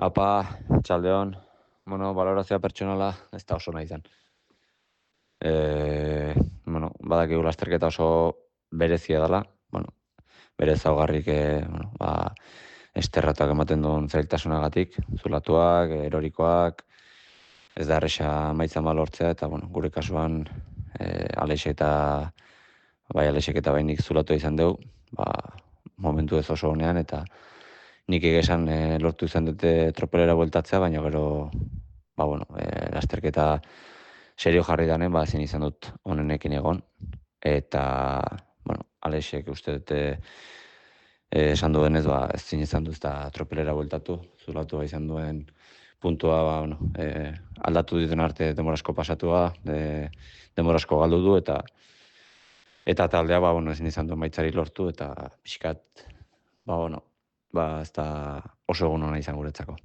Apa, txaldeon, balorazioa pertsonala ez da oso nahi izan. Badakigu lasterketa oso berezia dela, bere ezaugarrik, esterratuak ematen duen zailtasunagatik, zulatuak, erorikoak, ez da erresa emaitza lortzea, eta, gure kasuan, Alexek eta bainik zulatu izan dugu, momentu ez oso honean, eta nik egesan lortu izan dute tropelera bueltatzea, baina gero, lasterketa serio jarri danen, ezin izan dut honenekin egon, eta, Alexek uste dute esan duenez, ezin izan du ezta tropelera bueltatu, zulatu izan duen puntua, aldatu dituen arte demorasko pasatua, demorasko galdu du, eta taldea, ezin izan du emaitzari lortu, eta pixkat, ez da oso egun hona izan guretzako.